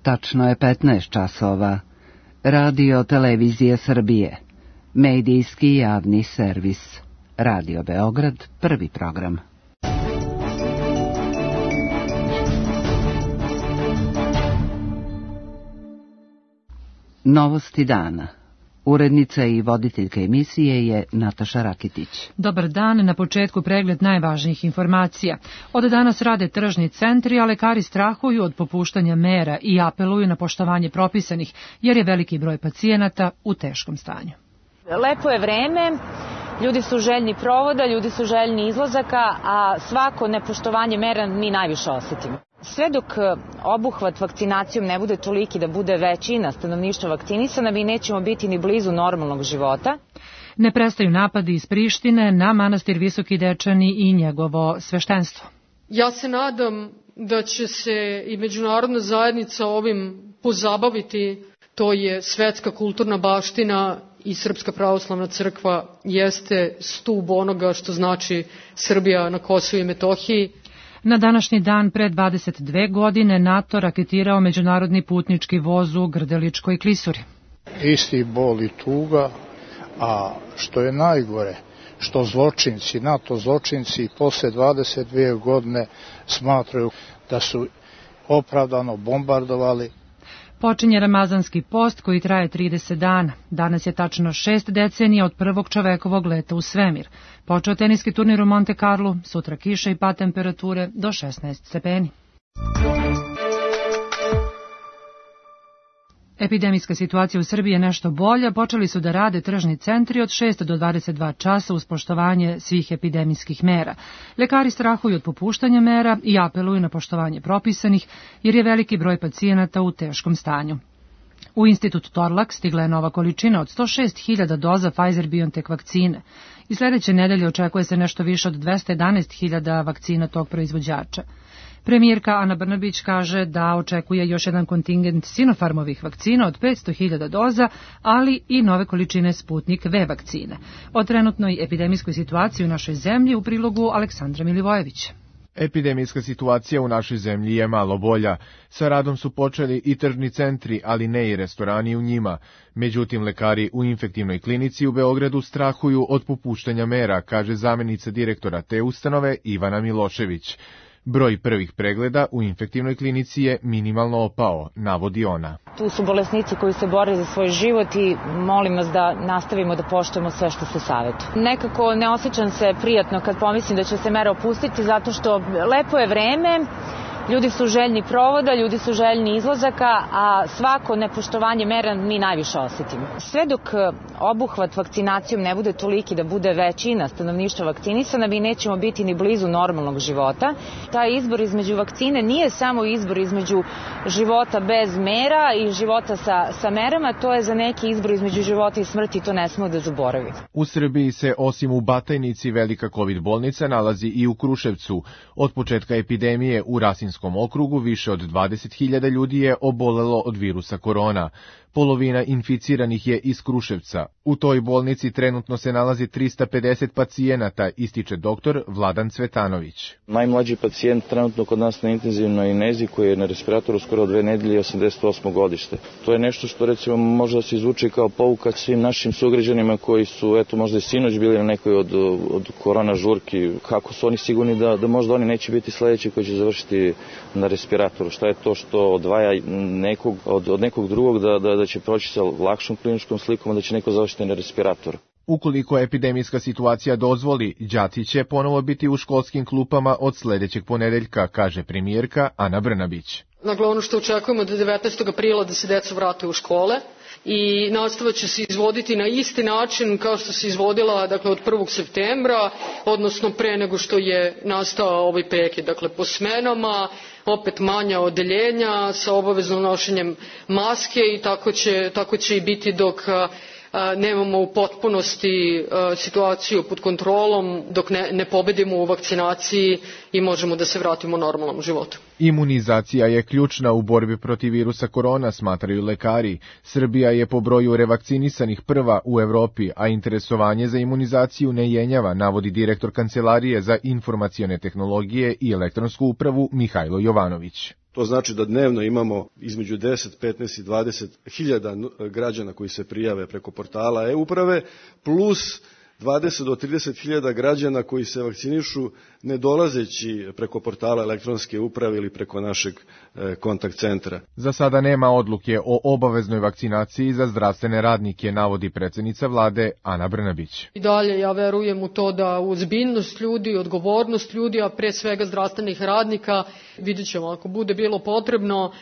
Tačno je 15 časova. Radio Televizija Srbije. Medijski javni servis. Radio Beograd, prvi program. Novosti dana. Urednica i voditeljka emisije je Nataša Rakitić. Dobar dan, na početku pregled najvažnijih informacija. Od danas rade tržni centri, a lekari strahuju od popuštanja mera i apeluju na poštovanje propisanih, jer je veliki broj pacijenata u teškom stanju. Lepo je vreme, ljudi su željni provoda, ljudi su željni izlazaka, a svako nepoštovanje mera mi najviše osetimo. Sve dok obuhvat vakcinacijom ne bude toliki da bude većina stanovništva vakcinisana, mi nećemo biti ni blizu normalnog života. Ne prestaju napadi iz Prištine na manastir Visoki Dečani i njegovo sveštenstvo. Ja se nadam da će se i međunarodna zajednica ovim pozabaviti. To je svetska kulturna baština i Srpska pravoslavna crkva jeste stub onoga što znači Srbija na Kosovu i Metohiji. Na današnji dan pre 22 godine NATO raketirao međunarodni putnički voz u Grdeličkoj klisuri. Isti bol i tuga, a što je najgore, što zločinci, NATO zločinci posle 22 godine smatraju da su opravdano bombardovali. Počinje ramazanski post koji traje 30 dana. Danas je tačno 6 decenija od prvog čovekovog leta u svemir. Počeo teniski turnir u Monte Carlo, sutra kiša i pad temperature do 16 stepeni. Epidemijska situacija u Srbiji je nešto bolja, počeli su da rade tržni centri od 6 do 22 časa uz poštovanje svih epidemijskih mera. Lekari strahuju od popuštanja mera i apeluju na poštovanje propisanih, jer je veliki broj pacijenata u teškom stanju. U institut Torlak stigla je nova količina od 106.000 doza Pfizer-BioNTech vakcine i sledeće nedelje očekuje se nešto više od 211.000 vakcina tog proizvođača. Premijerka Ana Brnabić kaže da očekuje još jedan kontingent Sinopharmovih vakcina od 500.000 doza, ali i nove količine Sputnik V vakcine. O trenutnoj epidemijskoj situaciji u našoj zemlji u prilogu Aleksandra Milivojevića. Epidemijska situacija u našoj zemlji je malo bolja. Sa radom su počeli i tržni centri, ali ne i restorani u njima. Međutim, lekari u infektivnoj klinici u Beogradu strahuju od popuštanja mera, kaže zamenica direktora te ustanove Ivana Milošević. Broj prvih pregleda u infektivnoj klinici je minimalno opao, navodi ona. Tu su bolesnici koji se bore za svoj život i molim vas da nastavimo da poštujemo sve što se savjetuje. Nekako ne osjećam se prijatno kad pomislim da će se mera opustiti, zato što lepo je vreme, ljudi su željni provoda, ljudi su željni izlazaka, a svako nepoštovanje mera mi najviše osetimo. Sve dok obuhvat vakcinacijom ne bude toliki da bude većina stanovništva vakcinisana, mi nećemo biti ni blizu normalnog života. Taj izbor između vakcine nije samo izbor između života bez mera i života sa merama, to je za neki izbor između života i smrti, to ne smemo da zaboravimo. U Srbiji se osim u Batajnici velika COVID bolnica nalazi i u Kruševcu. Od početka epidemije u Rasinskom okrugu više od 20.000 ljudi je obolelo od virusa korona. Polovina inficiranih je iz Kruševca. U toj bolnici trenutno se nalazi 350 pacijenata, ističe doktor Vladan Cvetanović. Najmlađi pacijent trenutno kod nas na intenzivnoj nezi koji je na respiratoru skoro 2 nedelje 88. godište. To je nešto što recimo može da se izvuče kao pouka svim našim sugrađanima koji su možda i sinoć bili na nekoj od korona žurki. Kako su oni sigurni da možda oni neće biti sledeći koji će završiti na respiratoru? Šta je to što odvaja nekog od nekog drugog da će proći sa lakšom kliničkom slikom, da će neko završiti na respiratoru? Ukoliko epidemijska situacija dozvoli, đaci će ponovo biti u školskim klupama od sledećeg ponedeljka, kaže premijerka Ana Brnabić. Dakle, ono što očekujemo da 19. aprila da se deca vrate u škole i nastava će se izvoditi na isti način kao što se izvodila od 1. septembra, odnosno pre nego što je nastao ovaj prekid, po smenama, opet manja odeljenja sa obaveznom nošenjem maske i tako će i biti dok nemamo u potpunosti situaciju pod kontrolom, dok ne pobedimo u vakcinaciji i možemo da se vratimo normalnom životu. Imunizacija je ključna u borbi protiv virusa korona, smatraju lekari. Srbija je po broju revakcinisanih prva u Evropi, a interesovanje za imunizaciju ne jenjava, navodi direktor Kancelarije za informacione tehnologije i elektronsku upravu Mihajlo Jovanović. To znači da dnevno imamo između 10, 15 i 20 hiljada građana koji se prijave preko portala e-uprave, plus 20 do 30 hiljada građana koji se vakcinišu ne dolazeći preko portala elektronske uprave ili preko našeg kontakt centra. Za sada nema odluke o obaveznoj vakcinaciji za zdravstvene radnike, navodi predsjednica vlade Ana Brnabić. I dalje ja verujem u to da ozbiljnost ljudi, odgovornost ljudi, a pre svega zdravstvenih radnika, vidjet ćemo ako bude bilo potrebno,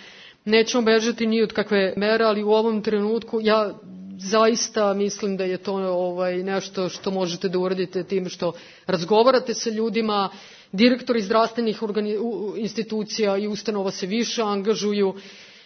nećemo bežati ni od kakve mere, ali u ovom trenutku ja zaista mislim da je to nešto što možete da uradite tim što razgovarate sa ljudima, direktori zdravstvenih institucija i ustanova se više angažuju.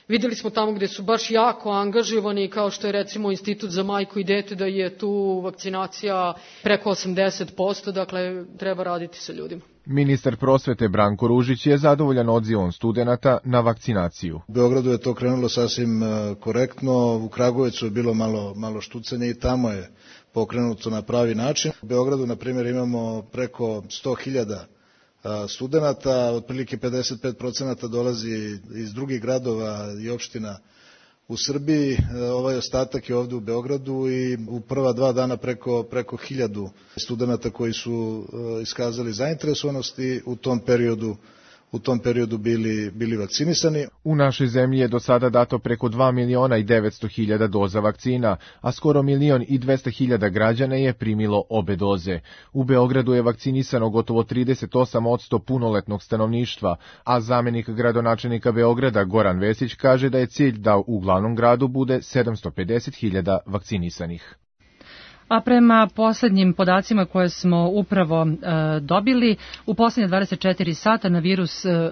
Videli smo tamo gde su baš jako angažovani, kao što je recimo Institut za majku i dete, da je tu vakcinacija preko 80%, dakle treba raditi sa ljudima. Ministar prosvete Branko Ružić je zadovoljan odzivom studenata na vakcinaciju. U Beogradu je to krenulo sasvim korektno, u Kragujevcu je bilo malo štucanje i tamo je pokrenuto na pravi način. U Beogradu, na primjer, imamo preko 100.000 studenata, otprilike 55% dolazi iz drugih gradova i opština u Srbiji, ovaj ostatak je ovde u Beogradu i u prva 2 dana preko 1000 studenata koji su iskazali zainteresovanost i u tom periodu bili vakcinisani. U našoj zemlji je do sada dato preko 2.900.000 doza vakcina, a skoro 1.200.000 građana je primilo obe doze. U Beogradu je vakcinisano gotovo 38% punoletnog stanovništva, a zamenik gradonačelnika Beograda Goran Vesić kaže da je cilj da u glavnom gradu bude 750.000 vakcinisanih. A prema poslednjim podacima koje smo upravo dobili, u poslednje 24 sata na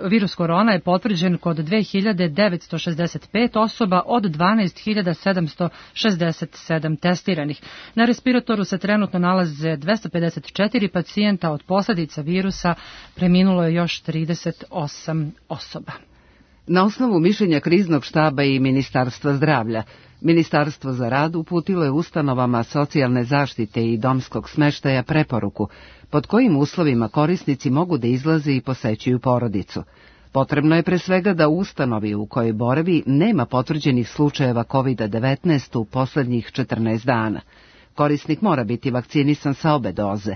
virus korona je potvrđen kod 2965 osoba od 12.767 testiranih. Na respiratoru se trenutno nalaze 254 pacijenta, od posledica virusa preminulo je još 38 osoba. Na osnovu mišljenja kriznog štaba i Ministarstva zdravlja, Ministarstvo za rad uputilo je ustanovama socijalne zaštite i domskog smeštaja preporuku pod kojim uslovima korisnici mogu da izlaze i posećuju porodicu. Potrebno je pre svega da u ustanovi u kojoj boravi nema potvrđenih slučajeva COVID-19 u poslednjih 14 dana. Korisnik mora biti vakcinisan sa obe doze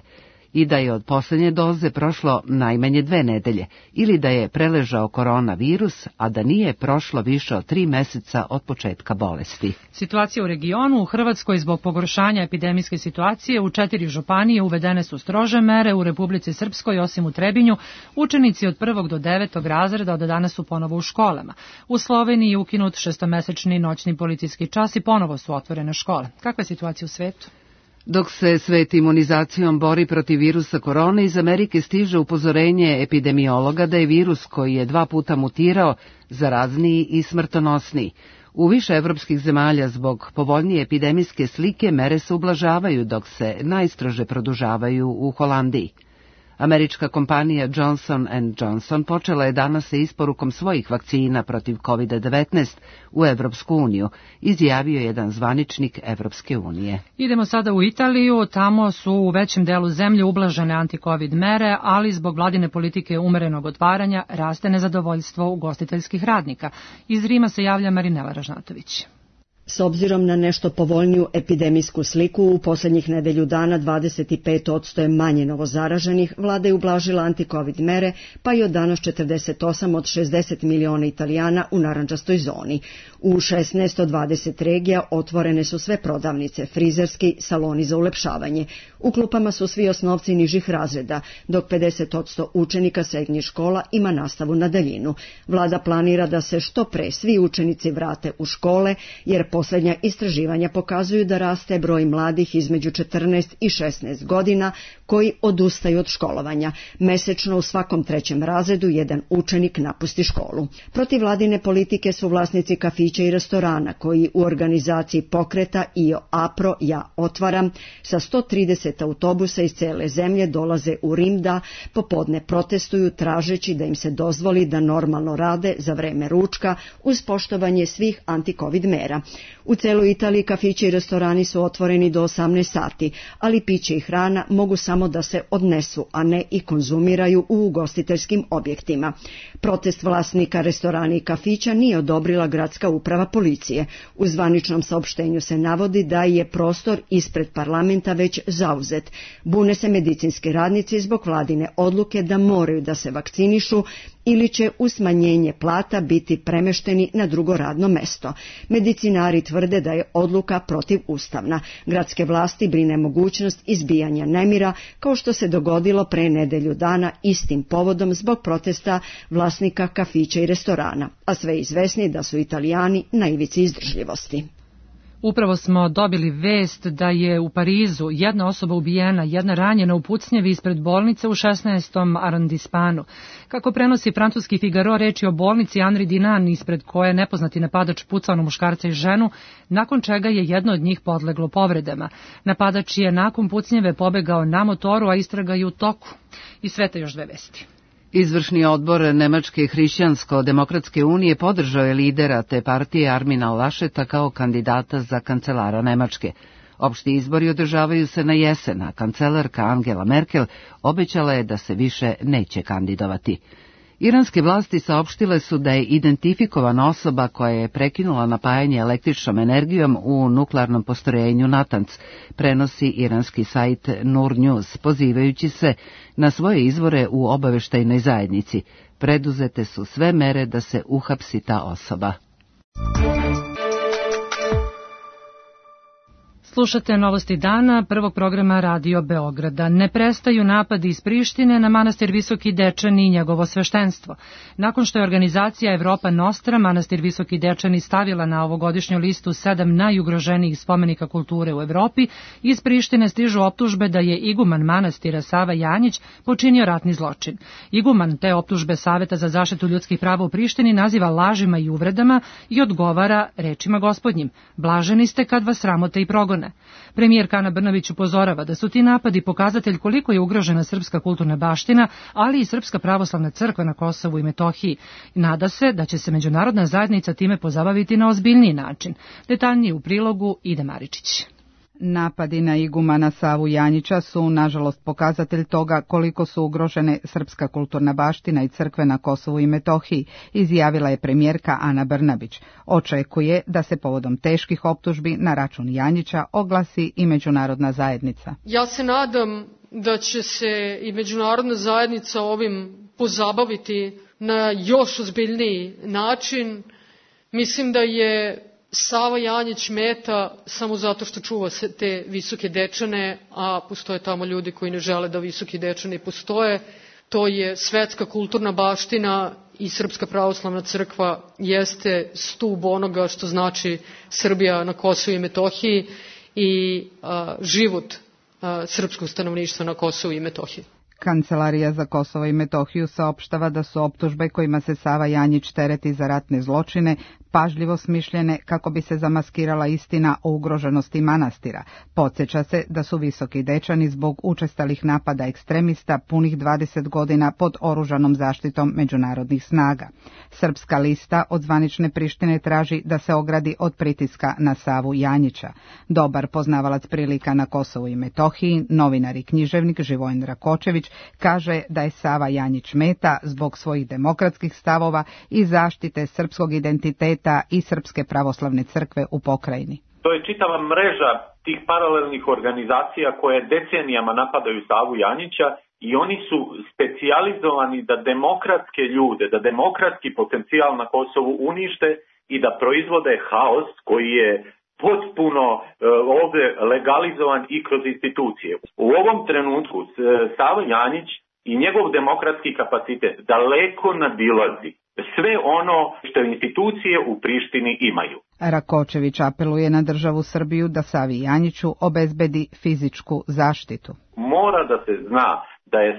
i da je od poslednje doze prošlo najmanje 2 nedelje ili da je preležao koronavirus, a da nije prošlo više od 3 meseca od početka bolesti. Situacija u regionu: u Hrvatskoj zbog pogoršanja epidemijske situacije u 4 županije uvedene su strože mere. U Republici Srpskoj, osim u Trebinju, učenici od 1. do 9. razreda od danas su ponovo u školama. U Sloveniji je ukinut 6-mesečni noćni policijski čas i ponovo su otvorene škole. Kakva je situacija u svetu? Dok se svet imunizacijom bori protiv virusa korone, iz Amerike stiže upozorenje epidemiologa da je virus koji je 2 puta mutirao zarazniji i smrtonosniji. U više evropskih zemalja zbog povoljnije epidemijske slike mere se ublažavaju, dok se najstrože produžavaju u Holandiji. Američka kompanija Johnson & Johnson počela je danas sa isporukom svojih vakcina protiv COVID-19 u Evropsku uniju, izjavio jedan zvaničnik Evropske unije. Idemo sada u Italiju. Tamo su u većem delu zemlje ublažene anti-COVID mere, ali zbog vladine politike umerenog otvaranja raste nezadovoljstvo ugostiteljskih radnika. Iz Rima se javlja Marinela Ražnatović. S obzirom na nešto povoljniju epidemijsku sliku, u posljednjih nedelju dana 25% je manje novozaraženih, vlada je ublažila anti-COVID mere, pa i od danas 48 od 60 miliona Italijana u narandžastoj zoni. U 16 od 20 regija otvorene su sve prodavnice, frizerski, saloni za ulepšavanje. U klupama su svi osnovci nižih razreda, dok 50% učenika srednjih škola ima nastavu na daljinu. Vlada planira da se što pre svi učenici vrate u škole, jer posljednja istraživanja pokazuju da raste broj mladih između 14 i 16 godina koji odustaju od školovanja. Mesečno u svakom 3. razredu jedan učenik napusti školu. Protiv vladine politike su vlasnici kafića i restorana koji u organizaciji pokreta Io Apro, ja otvaram, sa 130 autobusa iz cele zemlje dolaze u Rim da popodne protestuju tražeći da im se dozvoli da normalno rade za vreme ručka uz poštovanje svih anti-COVID mera. U celoj Italiji kafići i restorani su otvoreni do 18 sati, ali piće i hrana mogu samo da se odnesu, a ne i konzumiraju u ugostiteljskim objektima. Protest vlasnika restorana i kafića nije odobrila gradska uprava policije. U zvaničnom saopštenju se navodi da je prostor ispred parlamenta već zauzet. Bune se medicinski radnici zbog vladine odluke da moraju da se vakcinišu ili će uz smanjenje plata biti premešteni na drugo radno mesto. Medicinari tvrde da je odluka protivustavna. Gradske vlasti brine mogućnost izbijanja nemira, kao što se dogodilo pre nedelju dana istim povodom zbog protesta vlasnika kafića i restorana, a sve izvesni da su Italijani na ivici izdržljivosti. Upravo smo dobili vest da je u Parizu jedna osoba ubijena, jedna ranjena u pucnjevi ispred bolnice u 16. arondismanu. Kako prenosi francuski Figaro, reč je o bolnici Henri Dunant, ispred koje je nepoznati napadač pucao na muškarca i ženu, nakon čega je jedno od njih podleglo povredama. Napadač je nakon pucnjeve pobegao na motoru, a istraga je u toku. I sve te još dve vesti. Izvršni odbor Nemačke hrišćansko-demokratske unije podržao je lidera te partije Armina Lascheta kao kandidata za kancelara Nemačke. Opšti izbori održavaju se na jesen, a kancelarka Angela Merkel obećala je da se više neće kandidovati. Iranske vlasti saopštile su da je identifikovana osoba koja je prekinula napajanje električnom energijom u nuklearnom postrojenju Natanz, prenosi iranski sajt Nur News, pozivajući se na svoje izvore u obaveštajnoj zajednici. Preduzete su sve mere da se uhapsi ta osoba. Slušate novosti dana prvog programa Radio Beograda. Ne prestaju napadi iz Prištine na manastir Visoki Dečani i njegovo sveštenstvo. Nakon što je organizacija Evropa Nostra manastir Visoki Dečani stavila na ovogodišnju listu 7 najugroženijih spomenika kulture u Evropi, iz Prištine stižu optužbe da je iguman manastira Sava Janjić počinio ratni zločin. Iguman te optužbe Saveta za zaštitu ljudskih prava u Prištini naziva lažima i uvredama i odgovara rečima gospodnjim: blaženi ste kad vas sramote i progone. Premijerka Ana Brnabić upozorava da su ti napadi pokazatelj koliko je ugrožena srpska kulturna baština, ali i Srpska pravoslavna crkva na Kosovu i Metohiji. Nada se da će se međunarodna zajednica time pozabaviti na ozbiljniji način. Detaljnije u prilogu Ide Maričić. Napadi na igumana Savu Janjića su, nažalost, pokazatelj toga koliko su ugrožene srpska kulturna baština i crkve na Kosovu i Metohiji, izjavila je premijerka Ana Brnabić. Očekuje da se povodom teških optužbi na račun Janjića oglasi i međunarodna zajednica. Ja se nadam da će se i međunarodna zajednica ovim pozabaviti na još ozbiljniji način. Mislim da je Sava Janjić meta samo zato što čuva te Visoke Dečane, a postoje tamo ljudi koji ne žele da Visoki Dečani postoje. To je svetska kulturna baština i Srpska pravoslavna crkva jeste stub onoga što znači Srbija na Kosovu i Metohiji i život srpskog stanovništva na Kosovu i Metohiji. Kancelarija za Kosovo i Metohiju saopštava da su optužbe kojima se Sava Janjić tereti za ratne zločine pažljivo smišljene kako bi se zamaskirala istina o ugroženosti manastira. Podsjeća se da su Visoki Dečani zbog učestalih napada ekstremista punih 20 godina pod oružanom zaštitom međunarodnih snaga. Srpska lista od zvanične Prištine traži da se ogradi od pritiska na Savu Janjića. Dobar poznavalac prilika na Kosovu i Metohiji, novinar i književnik Živojin Rakočević, kaže da je Sava Janjić meta zbog svojih demokratskih stavova i zaštite srpskog identiteta i Srpske pravoslavne crkve u pokrajini. To je čitava mreža tih paralelnih organizacija koje decenijama napadaju Savu Janjića i oni su specijalizovani da demokratske ljude, da demokratski potencijal na Kosovu unište i da proizvode haos koji je potpuno ovde legalizovan i kroz institucije. U ovom trenutku Sava Janjić i njegov demokratski kapacitet daleko nadilazi sve ono što institucije u Prištini imaju. Rakočević apeluje na državu Srbiju da Savi Janjiću obezbedi fizičku zaštitu. Mora da se zna da je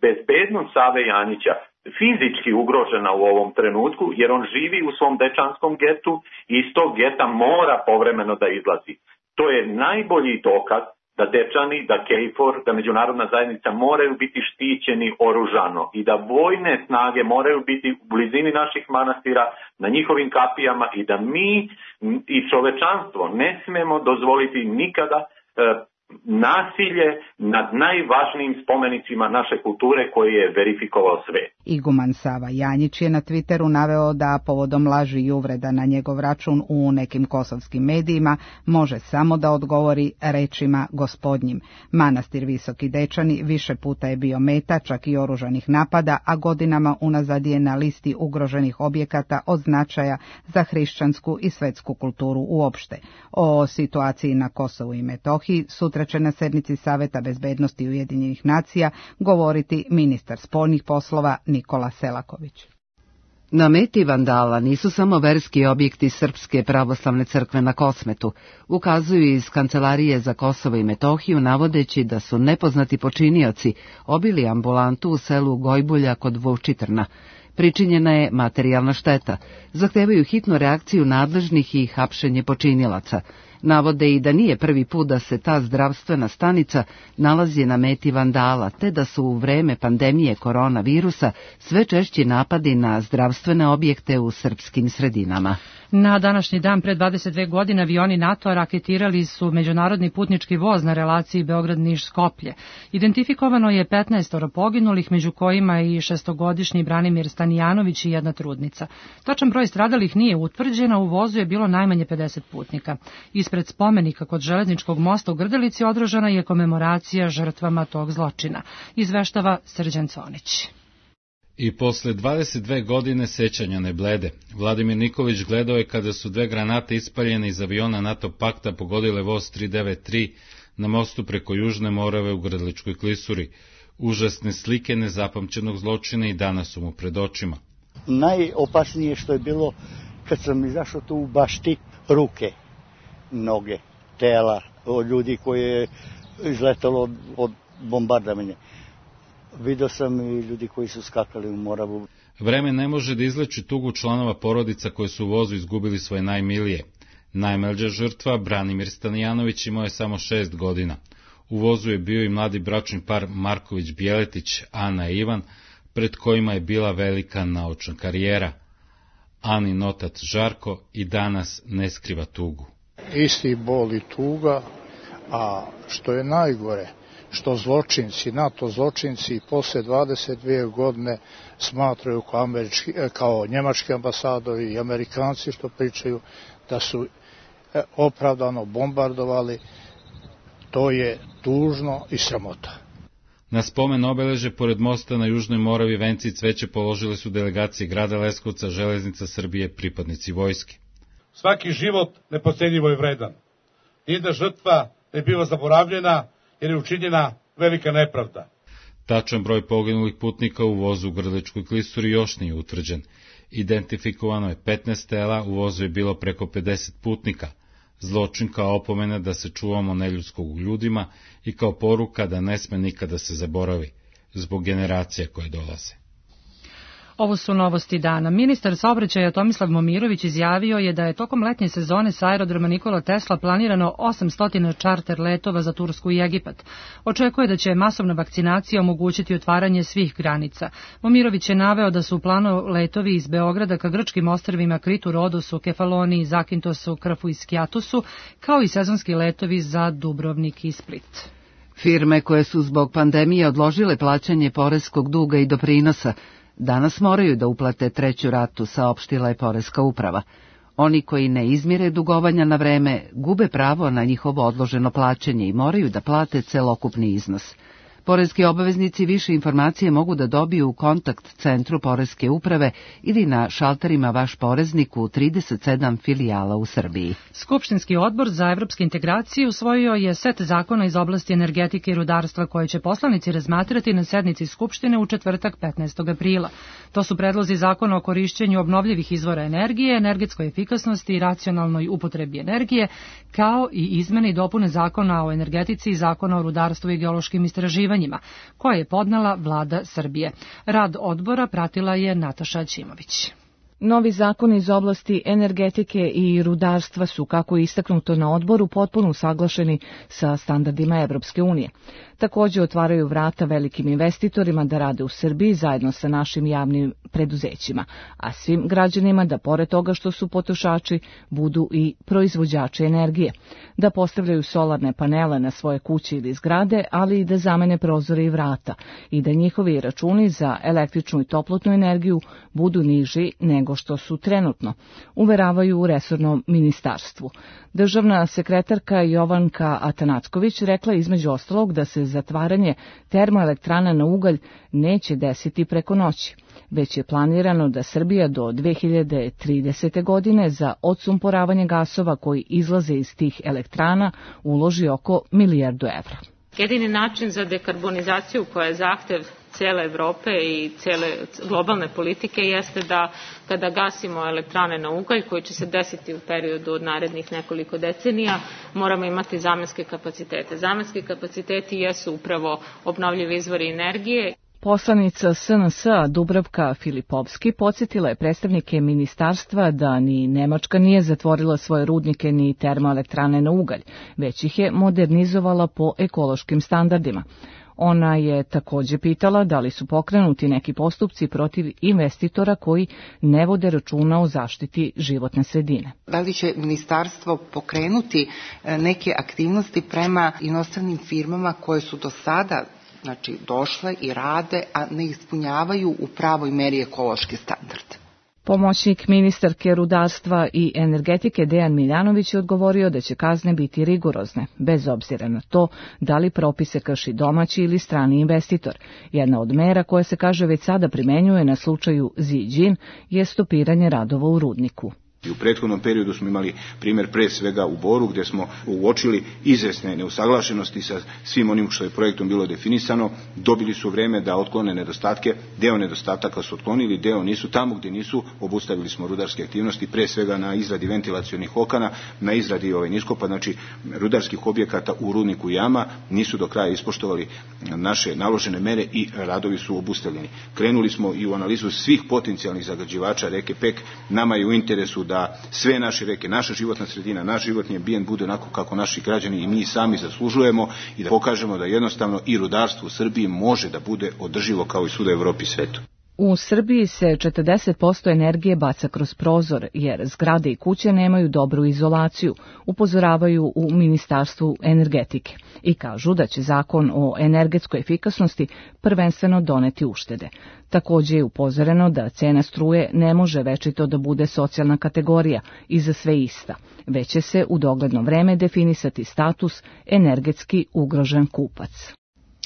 bezbednost Save Janjića fizički ugrožena u ovom trenutku, jer on živi u svom dečanskom getu i iz tog geta mora povremeno da izlazi. To je najbolji dokaz da Dečani, da KFOR, da međunarodna zajednica moraju biti štićeni oružano i da vojne snage moraju biti u blizini naših manastira, na njihovim kapijama i da mi i čovečanstvo ne smemo dozvoliti nikada nasilje nad najvažnijim spomenicima naše kulture koji je verifikovao svet. Iguman Sava Janjić je na Twitteru naveo da povodom laži i uvreda na njegov račun u nekim kosovskim medijima može samo da odgovori rečima gospodnjim. Manastir Visoki Dečani više puta je bio meta čak i oružanih napada, a godinama unazad je na listi ugroženih objekata od značaja za hrišćansku i svetsku kulturu uopšte. O situaciji na Kosovu i Metohiji sutra će na sednici Saveta bezbednosti Ujedinjenih nacija govoriti ministar spoljnih poslova Nikola Selaković. Na meti vandala nisu samo verski objekti Srpske pravoslavne crkve na Kosmetu, ukazuju iz Kancelarije za Kosovo i Metohiju navodeći da su nepoznati počinioci obili ambulantu u selu Gojbulja kod Vučitrna. Pričinjena je materijalna šteta, zahtevaju hitnu reakciju nadležnih i hapšenje počinilaca. Navode i da nije prvi put da se ta zdravstvena stanica nalazi na meti vandala, te da su u vreme pandemije koronavirusa sve češći napadi na zdravstvene objekte u srpskim sredinama. Na današnji dan pre 22 godine avioni NATO-a raketirali su međunarodni putnički voz na relaciji Beograd-Niš-Skoplje. Identifikovano je 15 poginulih, među kojima i 6-godišnji Branimir Stanijanović i jedna trudnica. Tačan broj stradalih nije utvrđen, a u vozu je bilo najmanje 50 putnika. Ispred spomenika kod železničkog mosta u Grdelici održana je komemoracija žrtvama tog zločina. Izveštava Srđan Conić. I posle 22 godine sećanja ne blede. Vladimir Nikolić gledao je kada su 2 granate ispaljene iz aviona NATO pakta pogodile voz 393 na mostu preko Južne Morave u Grdeličkoj klisuri. Užasne slike nezapamćenog zločina i danas su mu pred očima. Najopasnije što je bilo kad sam izašao tu u bašti, ruke, noge, tela od ljudi koji je izletalo od bombardovanja. Vidio sam i ljudi koji su skakali u Moravu. Vreme ne može da izleči tugu članova porodica koji su u vozu izgubili svoje najmilije. Najmlađa žrtva, Branimir Stanijanović, imao je samo 6 godina. U vozu je bio i mladi bračni par Marković-Bjeletić, Ana i Ivan, pred kojima je bila velika naučna karijera. Anin otac Žarko i danas ne skriva tugu. Isti bol i tuga, a što je najgore, što zločinci, NATO zločinci posle 22 godine smatraju kao njemački ambasadori i Amerikanci što pričaju da su opravdano bombardovali, to je tužno i sramota. Na spomen obeleže pored mosta na Južnoj Moravi venci i cveće položile su delegacije grada Leskovca, Železnica Srbije, pripadnici vojske. Svaki život nepocenjivo je vredan. Nijedna žrtva ne biva zaboravljena jer je učinjena velika nepravda. Tačan broj poginulih putnika u vozu u Grdeličkoj klisuri još nije utvrđen. Identifikovano je 15 tela, u vozu je bilo preko 50 putnika. Zločin kao opomena da se čuvamo neljudskog u ljudima i kao poruka da ne sme nikada se zaboravi, zbog generacija koje dolaze. Ovo su novosti dana. Ministar saobraćaja Tomislav Momirović izjavio je da je tokom letnje sezone sa aerodroma Nikola Tesla planirano 800 čarter letova za Tursku i Egipat. Očekuje da će masovna vakcinacija omogućiti otvaranje svih granica. Momirović je naveo da su u planu letovi iz Beograda ka grčkim ostrvima Kritu, Rodosu, Kefaloniji, Zakintosu, Krfu i Skijatusu, kao i sezonski letovi za Dubrovnik i Split. Firme koje su zbog pandemije odložile plaćanje poreskog duga i doprinosa danas moraju da uplate 3. ratu, saopštila je Poreska uprava. Oni koji ne izmire dugovanja na vreme gube pravo na njihovo odloženo plaćanje i moraju da plate celokupni iznos. Poreski obaveznici više informacije mogu da dobiju u kontakt centru Poreske uprave ili na šalterima Vaš poreznik u 37 filijala u Srbiji. Skupštinski odbor za evropske integracije usvojio je set zakona iz oblasti energetike i rudarstva koje će poslanici razmatrati na sednici Skupštine u četvrtak 15. aprila. To su predlozi zakona o korišćenju obnovljivih izvora energije, energetskoj efikasnosti i racionalnoj upotrebi energije, kao i izmene i dopune zakona o energetici i zakona o rudarstvu i geološkim istraživanjima, koje je podnela vlada Srbije. Rad odbora pratila je Nataša Ćimović. Novi zakoni iz oblasti energetike i rudarstva su, kako je istaknuto na odboru, potpuno usaglašeni sa standardima Evropske unije. Također otvaraju vrata velikim investitorima da rade u Srbiji zajedno sa našim javnim preduzećima, a svim građanima da, pored toga što su potrošači, budu i proizvođači energije, da postavljaju solarne panele na svoje kuće ili zgrade, ali i da zamene prozore i vrata i da njihovi računi za električnu i toplotnu energiju budu niži nego što su trenutno, uveravaju u resornom ministarstvu. Državna sekretarka Jovanka Atanacković rekla između ostalog da se zatvaranje termoelektrana na ugalj neće desiti preko noći, već je planirano da Srbija do 2030. godine za odsumporavanje gasova koji izlaze iz tih elektrana uloži oko $1 milijardu. Jedini način za dekarbonizaciju koja je zahtev cijele Evrope i cijele globalne politike jeste da kada gasimo elektrane na ugalj, koji će se desiti u periodu od narednih nekoliko decenija, moramo imati zamenske kapacitete. Zamenski kapaciteti jesu upravo obnovljivi izvori energije. Poslanica SNS-a Dubravka Filipovski podsjetila je predstavnike ministarstva da ni Nemačka nije zatvorila svoje rudnike ni termoelektrane na ugalj, već ih je modernizovala po ekološkim standardima. Ona je također pitala da li su pokrenuti neki postupci protiv investitora koji ne vode računa o zaštiti životne sredine. Da li će ministarstvo pokrenuti neke aktivnosti prema inostranim firmama koje su do sada došle i rade, a ne ispunjavaju u pravoj meri ekološki standard? Pomoćnik ministarke rudarstva i energetike Dejan Miljanović je odgovorio da će kazne biti rigorozne, bez obzira na to da li propise krši domaći ili strani investitor. Jedna od mera koja se, kaže, već sada primenjuje na slučaju Ziđin je stopiranje radova u rudniku. U prethodnom periodu smo imali primjer pre svega u Boru, gdje smo uočili izvesne neusaglašenosti sa svim onim što je projektom bilo definisano. Dobili su vreme da otklone nedostatke, deo nedostataka su otklonili, deo nisu. Tamo gdje nisu, obustavili smo rudarske aktivnosti, pre svega na izradi ventilacionih okana, na izradi niskopa, znači rudarskih objekata u rudniku jama, nisu do kraja ispoštovali naše naložene mere i radovi su obustavljeni. Krenuli smo i u analizu svih potencijalnih zagađivača reke Pek. Nama je u interesu da sve naše reke, naša životna sredina, naš životni ambijent bude onako kako naši građani i mi sami zaslužujemo i da pokažemo da jednostavno i rudarstvo u Srbiji može da bude održivo kao i svuda u Evropi i svetu. U Srbiji se 40% energije baca kroz prozor, jer zgrade i kuće nemaju dobru izolaciju, upozoravaju u Ministarstvu energetike i kažu da će zakon o energetskoj efikasnosti prvenstveno doneti uštede. Također je upozoreno da cena struje ne može večito da bude socijalna kategorija i za sve ista, već će se u dogledno vreme definisati status energetski ugrožen kupac.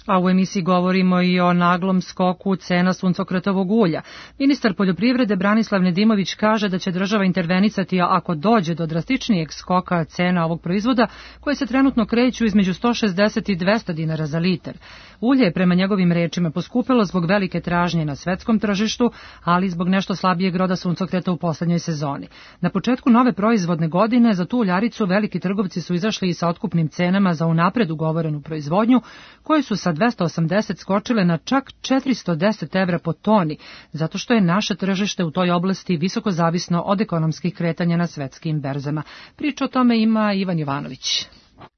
A u emisiji govorimo i o naglom skoku cena suncokretovog ulja. Ministar poljoprivrede Branislav Nedimović kaže da će država intervenisati ako dođe do drastičnijeg skoka cena ovog proizvoda, koje se trenutno kreću između 160 i 200 dinara za litar. Ulje je prema njegovim rečima poskupilo zbog velike tražnje na svetskom tržištu, ali i zbog nešto slabijeg roda suncokreta u poslednjoj sezoni. Na početku nove proizvodne godine za tu uljaricu veliki trgovci su izašli i sa otkupnim cenama za unapred ugovorenu proizvodnju, koje su sa 280 skočile na čak 410 evra po toni, zato što je naše tržište u toj oblasti visoko zavisno od ekonomskih kretanja na svetskim berzama. Priča o tome ima Ivan Jovanović.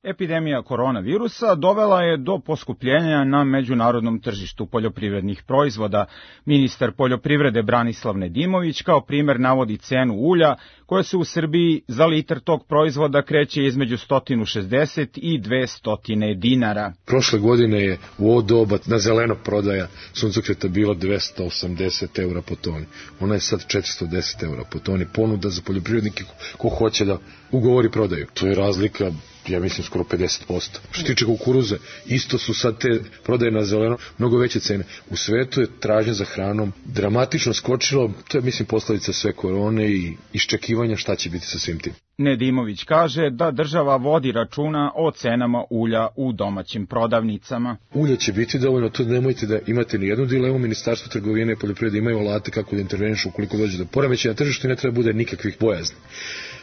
Epidemija koronavirusa dovela je do poskupljenja na međunarodnom tržištu poljoprivrednih proizvoda. Ministar poljoprivrede Branislav Nedimović kao primjer navodi cenu ulja, koja se u Srbiji za litar tog proizvoda kreće između 160 i 200 dinara. Prošle godine je u ovo doba na zeleno prodaja suncokreta bila 280 eura po toni. Ona je sad 410 eura po toni. Ponuda za poljoprivrednike ko hoće da ugovori prodaju. To je razlika, ja mislim, skoro 50%. Što tiče kukuruze, isto su sad te prodaje na zeleno mnogo veće cene. U svetu je tražnja za hranom dramatično skočilo, to je, mislim, posledica sve korone i iščekivanja šta će biti sa svim tim. Nedimović kaže da država vodi računa o cenama ulja u domaćim prodavnicama. Ulja će biti dovoljno, to nemojte da imate ni jednu dilemu. Ministarstvo trgovine i poljoprivrede imaju alate kako da intervenišu ukoliko dođe do poremećaja na tržištu i ne treba bude nikakvih bojazni.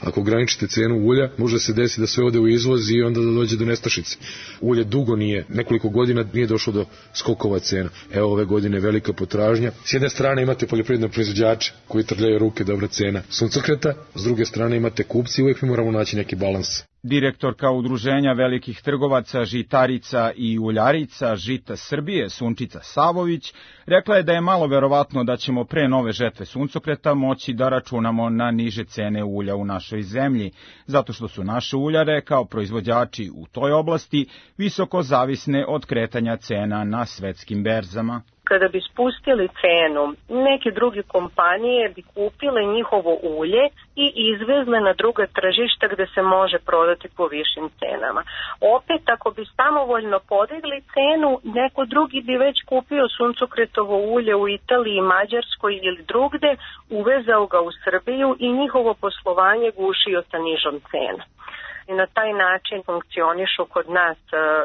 Ako ograničite cenu ulja, može se desiti da sve ode u izvoz i onda da dođe do nestašice. Ulje dugo nekoliko godina nije došlo do skokova cena. Evo ove godine velika potražnja. S jedne strane imate poljoprivredne proizvođače koji trljaju ruke, dobra cena suncokreta, s druge strane imate kupci i uvijek mi moramo naći neki balans. Direktorka Udruženja velikih trgovaca žitarica i uljarica Žita Srbije, Sunčica Savović, rekla je da je malo verovatno da ćemo pre nove žetve suncokreta moći da računamo na niže cene ulja u našoj zemlji, zato što su naše uljare kao proizvođači u toj oblasti visoko zavisne od kretanja cena na svetskim berzama. Kada bi spustili cenu, neke druge kompanije bi kupile njihovo ulje i izvezle na druga tržišta gde se može prodati po višim cenama. Opet, ako bi samovoljno podigli cenu, neko drugi bi već kupio suncokretovo ulje u Italiji, Mađarskoj ili drugde, uvezao ga u Srbiju i njihovo poslovanje gušio sa nižom cenom. I na taj način funkcionišu kod nas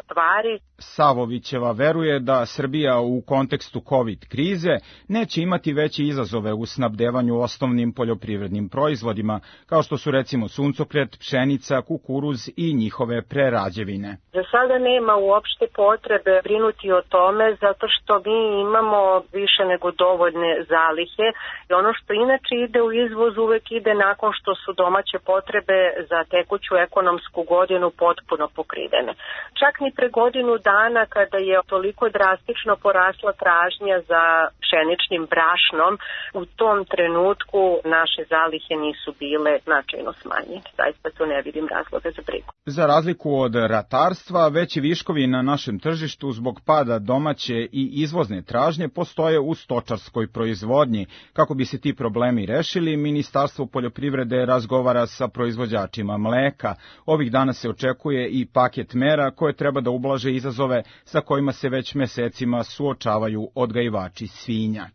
stvari. Savovićeva veruje da Srbija u kontekstu COVID krize neće imati veće izazove u snabdevanju osnovnim poljoprivrednim proizvodima, kao što su recimo suncokret, pšenica, kukuruz i njihove prerađevine. Za sada nema uopšte potrebe brinuti o tome, zato što mi imamo više nego dovoljne zalihe i ono što inače ide u izvoz uvek ide nakon što su domaće potrebe za tekuću ekonomsku godinu potpuno pokrivene. Čak ni pre godinu dana kada je toliko drastično porasla tražnja za pšeničnim brašnom, u tom trenutku naše zalihe nisu bile značajno smanjene. Zaista tu ne vidim razloga za brigu. Za razliku od ratarstva, veći viškovi na našem tržištu zbog pada domaće i izvozne tražnje postoje u stočarskoj proizvodnji. Kako bi se ti problemi rešili, Ministarstvo poljoprivrede razgovara sa proizvođačima mleka. Ovih dana se očekuje i paket mera koje treba da ublaže izazove sa kojima se već mesecima suočavaju odgajivači svinja.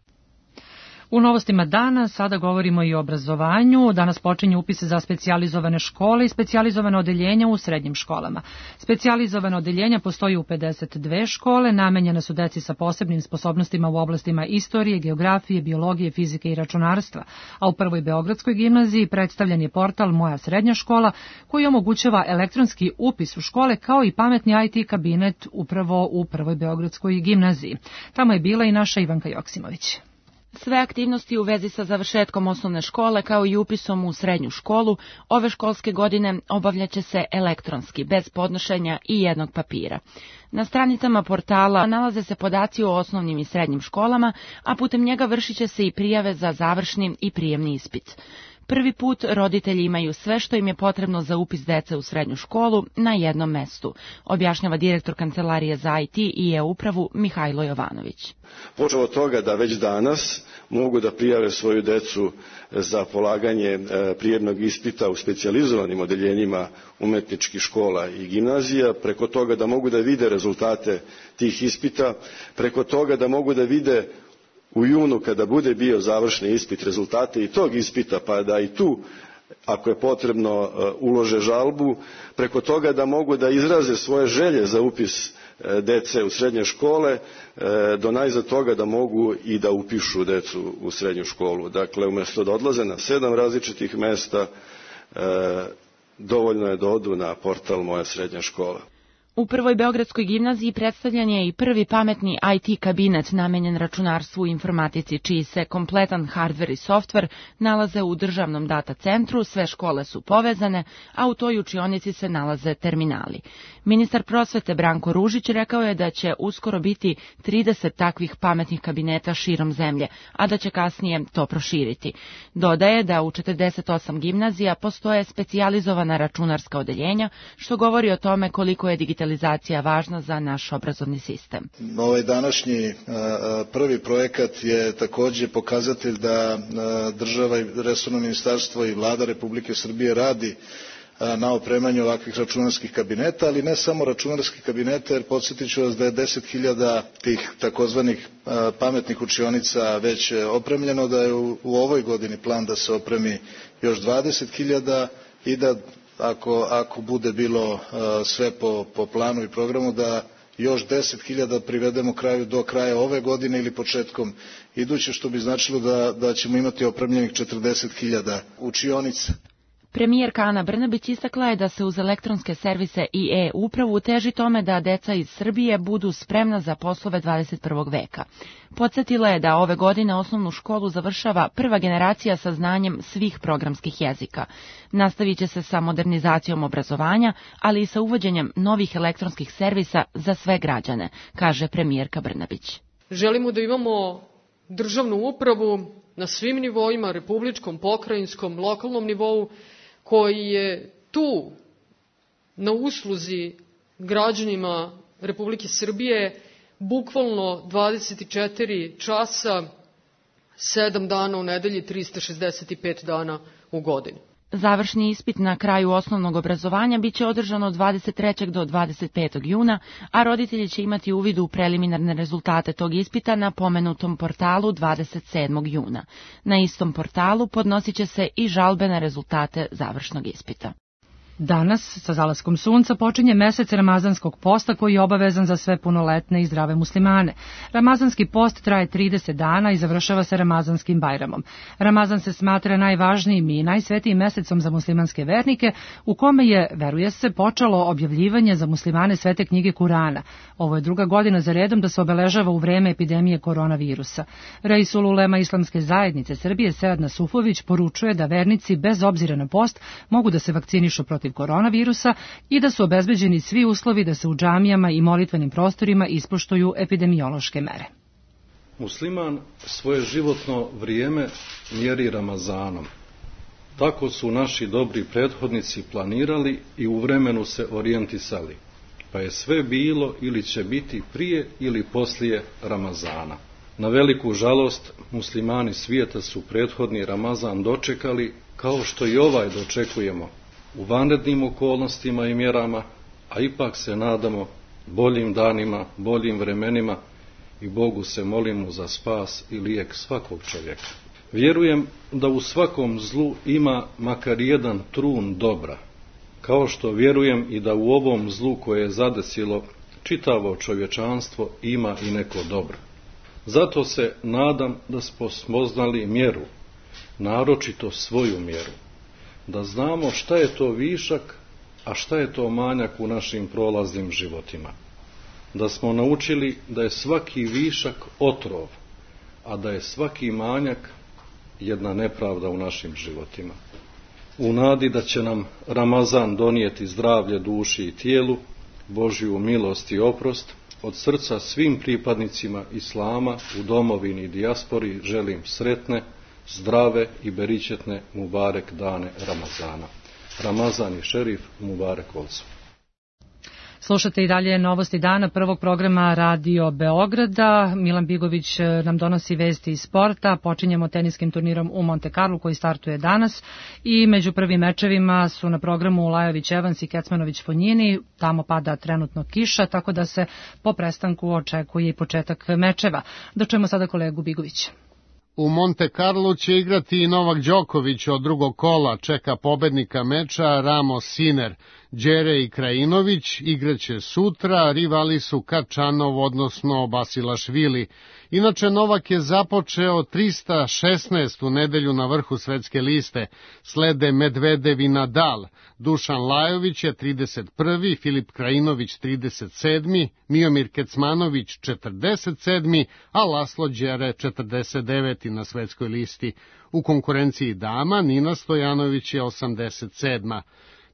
U novostima dana sada govorimo i o obrazovanju. Danas počinje upis za specijalizovane škole i specijalizovane odeljenja u srednjim školama. Specijalizovane odeljenja postoji u 52 škole, namenjene su deci sa posebnim sposobnostima u oblastima istorije, geografije, biologije, fizike i računarstva. A u Prvoj Beogradskoj gimnaziji predstavljen je portal Moja srednja škola, koji omogućava elektronski upis u škole kao i pametni IT kabinet upravo u Prvoj Beogradskoj gimnaziji. Tamo je bila i naša Ivanka Joksimović. Sve aktivnosti u vezi sa završetkom osnovne škole kao i upisom u srednju školu ove školske godine obavljaće se elektronski, bez podnošenja i jednog papira. Na stranicama portala nalaze se podaci o osnovnim i srednjim školama, a putem njega vršit će se i prijave za završni i prijemni ispit. Prvi put roditelji imaju sve što im je potrebno za upis dece u srednju školu na jednom mestu, objašnjava direktor Kancelarije za IT i e-upravu Mihajlo Jovanović. Počeo od toga da već danas mogu da prijave svoju decu za polaganje prijemnog ispita u specijalizovanim odeljenjima umetničkih škola i gimnazija, preko toga da mogu da vide rezultate tih ispita, preko toga da mogu da vide u junu kada bude bio završni ispit rezultate i tog ispita, pa da i tu ako je potrebno ulože žalbu, preko toga da mogu da izraze svoje želje za upis dece u srednje škole, do najzad toga da mogu i da upišu decu u srednju školu. Dakle, umjesto da odlaze na 7 različitih mesta, dovoljno je da odu na portal Moja srednja škola. U Prvoj Beogradskoj gimnaziji predstavljen je i prvi pametni IT kabinet namenjen računarstvu i informatici, čiji se kompletan hardver i softver nalaze u državnom data centru, sve škole su povezane, a u toj učionici se nalaze terminali. Ministar prosvete Branko Ružić rekao je da će uskoro biti 30 takvih pametnih kabineta širom zemlje, a da će kasnije to proširiti. Dodaje da u 48 gimnazija postoje specijalizovana računarska odeljenja, što govori o tome koliko je digitalizacija važna za naš obrazovni sistem. Ovaj današnji prvi projekat je takođe pokazatelj da država i resorno ministarstvo i vlada Republike Srbije radi na opremanju ovakvih računarskih kabineta, ali ne samo računarskih kabineta, jer podsjetit ću vas da je 10.000 tih takozvanih pametnih učionica već opremljeno, da je u ovoj godini plan da se opremi još 20.000 i da ako bude bilo sve po planu i programu, da još 10.000 privedemo kraju do kraja ove godine ili početkom iduće, što bi značilo da ćemo imati opremljenih 40.000 učionica. Premijerka Ana Brnabić istakla je da se uz elektronske servise i e-upravu teži tome da deca iz Srbije budu spremna za poslove 21. veka. Podsjetila je da ove godine osnovnu školu završava prva generacija sa znanjem svih programskih jezika. Nastavit će se sa modernizacijom obrazovanja, ali i sa uvođenjem novih elektronskih servisa za sve građane, kaže premijerka Brnabić. Želimo da imamo državnu upravu na svim nivoima, republičkom, pokrajinskom, lokalnom nivou, koji je tu na usluzi građanima Republike Srbije bukvalno 24 časa, 7 dana u nedelji, 365 dana u godini. Završni ispit na kraju osnovnog obrazovanja biće održan od 23. do 25. juna, a roditelji će imati uvid u preliminarne rezultate tog ispita na pomenutom portalu 27. juna. Na istom portalu podnosit će se i žalbe na rezultate završnog ispita. Danas, sa zalaskom sunca, počinje mesec Ramazanskog posta koji je obavezan za sve punoletne i zdrave muslimane. Ramazanski post traje 30 dana i završava se Ramazanskim Bajramom. Ramazan se smatra najvažnijim i najsvetijim mesecom za muslimanske vernike, u kome je, veruje se, počelo objavljivanje za muslimane svete knjige Kurana. Ovo je druga godina za redom da se obeležava u vreme epidemije koronavirusa. Reisul ulema Islamske zajednice Srbije Sead Nasufović poručuje da vernici bez obzira na post mogu da se vakcinišu protiv koronavirusa i da su obezbeđeni svi uslovi da se u džamijama i molitvenim prostorima ispoštuju epidemiološke mere. Musliman svoje životno vrijeme mjeri Ramazanom. Tako su naši dobri prethodnici planirali i u vremenu se orijentisali, pa je sve bilo ili će biti prije ili poslije Ramazana. Na veliku žalost, muslimani svijeta su prethodni Ramazan dočekali kao što i ovaj dočekujemo, u vanrednim okolnostima i mjerama, a ipak se nadamo boljim danima, boljim vremenima i Bogu se molimo za spas i lijek svakog čovjeka. Vjerujem da u svakom zlu ima makar jedan trun dobra, kao što vjerujem i da u ovom zlu koje je zadesilo čitavo čovječanstvo ima i neko dobro. Zato se nadam da smo spoznali mjeru, naročito svoju mjeru, da znamo šta je to višak, a šta je to manjak u našim prolaznim životima. Da smo naučili da je svaki višak otrov, a da je svaki manjak jedna nepravda u našim životima. U nadi da će nam Ramazan donijeti zdravlje duši i tijelu, Božju milost i oprost, od srca svim pripadnicima Islama u domovini i dijaspori želim sretne, zdrave i beričetne mubarek dane Ramazana. Ramazan i šerif, mubarek olcu. Slušate i dalje novosti dana prvog programa Radio Beograda. Milan Bigović nam donosi vesti iz sporta. Počinjemo teniskim turnirom u Monte Carlo koji startuje danas i među prvim mečevima su na programu Lajović Evans i Kecmanović Fonjini. Tamo pada trenutno kiša, tako da se po prestanku očekuje i početak mečeva. Dočujemo sada kolegu Bigovića. U Monte Carlo će igrati i Novak Đoković od drugog kola, čeka pobednika meča Ramos Sinner. Đere i Krajinović igraće sutra, rivali su Kačanov, odnosno Basilašvili. Inače, Novak je započeo 316. u nedelju na vrhu svetske liste. Slede Medvedev i Nadal. Dušan Lajović je 31. Filip Krajinović 37. Miomir Kecmanović 47. a Laslo Đere 49. na svetskoj listi. U konkurenciji dama Nina Stojanović je 87.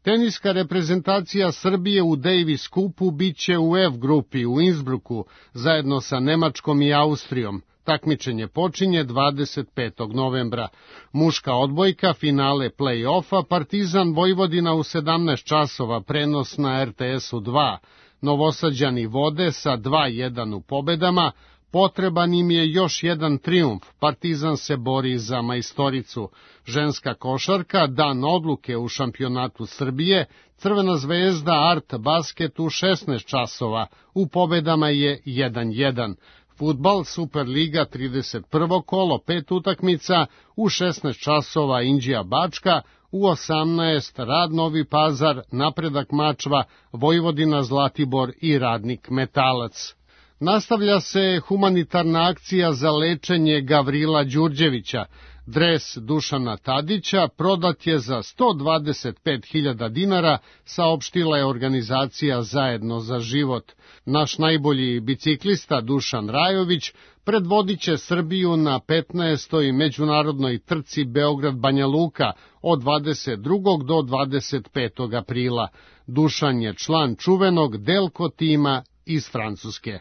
Teniska reprezentacija Srbije u Davis Cupu biće u F grupi u Innsbrucku zajedno sa Nemačkom i Austrijom. Takmičenje počinje 25. novembra. Muška odbojka, finale play-offa, Partizan Vojvodina u 17 časova, prenos na RTS-u 2. Novosađani vode sa 2-1 u pobedama. Potreban im je još jedan trijumf, Partizan se bori za majstoricu. Ženska košarka, dan odluke u šampionatu Srbije, Crvena zvezda Art Basket u 16 časova, u pobedama je 1-1. Fudbal Superliga 31. kolo, 5 utakmica, u 16 časova Inđija Bačka, u 18 Rad Novi Pazar, Napredak Mačva, Vojvodina Zlatibor i Radnik Metalac. Nastavlja se humanitarna akcija za lečenje Gavrila Đurđevića. Dres Dušana Tadića prodat je za 125.000 dinara, saopštila je organizacija Zajedno za život. Naš najbolji biciklista Dušan Rajović predvodit će Srbiju na 15. međunarodnoj trci Beograd-Banja Luka od 22. do 25. aprila. Dušan je član čuvenog Delko tima iz Francuske.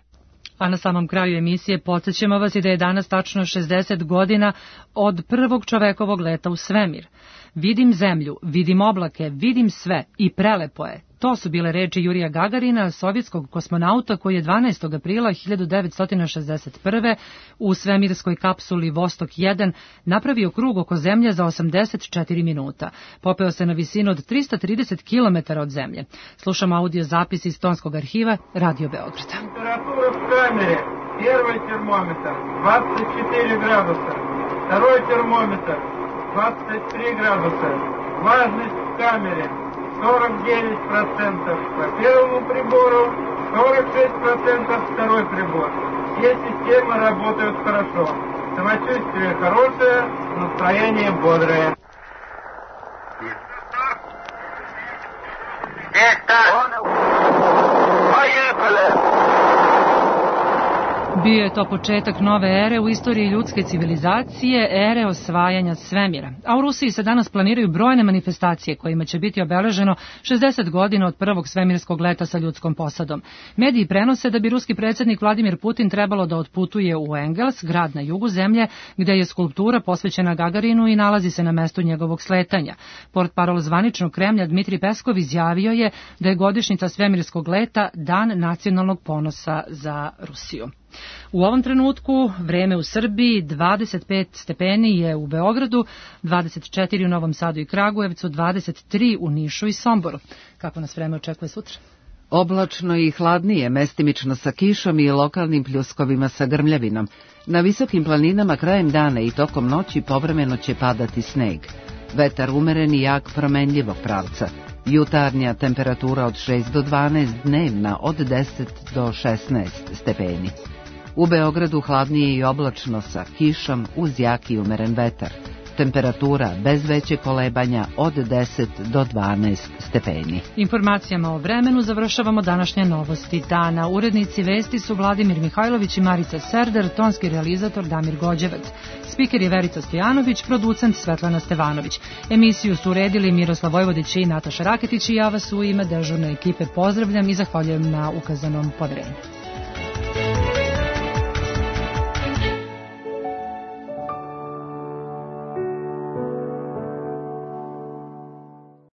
A na samom kraju emisije podsjećamo vas i da je danas tačno 60 godina od prvog čovekovog leta u svemir. Vidim zemlju, vidim oblake, vidim sve i prelepo je. To su bile reči Jurija Gagarina, sovjetskog kosmonauta koji je 12. aprila 1961. u svemirskoj kapsuli Vostok 1 napravio krug oko zemlje za 84 minuta. Popeo se na visinu od 330 km od zemlje. Slušamo audio zapis iz tonskog arhiva Radio Beograda. Температура в камере. Первый термометр 24 градуса. Второй термометр 23 градуса. Влажность в камере 49% по первому прибору, 46% второй прибор. Все системы работают хорошо. Самочувствие хорошее, настроение бодрое. Поехали! Bio je to početak nove ere u istoriji ljudske civilizacije, ere osvajanja svemira. A u Rusiji se danas planiraju brojne manifestacije kojima će biti obeleženo 60 godina od prvog svemirskog leta sa ljudskom posadom. Mediji prenose da bi ruski predsjednik Vladimir Putin trebalo da otputuje u Engels, grad na jugu zemlje, gde je skulptura posvećena Gagarinu i nalazi se na mestu njegovog sletanja. Portparol zvaničnog Kremlja Dmitrij Peskov izjavio je da je godišnjica svemirskog leta dan nacionalnog ponosa za Rusiju. U ovom trenutku vreme u Srbiji 25 stepeni je u Beogradu, 24 u Novom Sadu i Kragujevcu, 23 u Nišu i Somboru. Kako nas vreme očekuje sutra? Oblačno i hladnije, mestimično sa kišom i lokalnim pljuskovima sa grmljavinom. Na visokim planinama krajem dana i tokom noći povremeno će padati sneg. Vetar umeren i jak promenljivog pravca. Jutarnja temperatura od 6 do 12, dnevna od 10 do 16 stepeni. U Beogradu hladnije i oblačno sa kišom uz jak i umeren vetar. Temperatura bez veće kolebanja od 10 do 12 stepeni. Informacijama o vremenu završavamo današnje novosti dana. Urednici vesti su Vladimir Mihajlović i Marica Serder, tonski realizator Damir Gođevac. Spiker je Verica Stojanović, producent Svetlana Stevanović. Emisiju su uredili Miroslav Vojvodić i Nataša Raketić i ja vas u ime dežurne ekipe pozdravljam i zahvaljujem na ukazanom poverenju.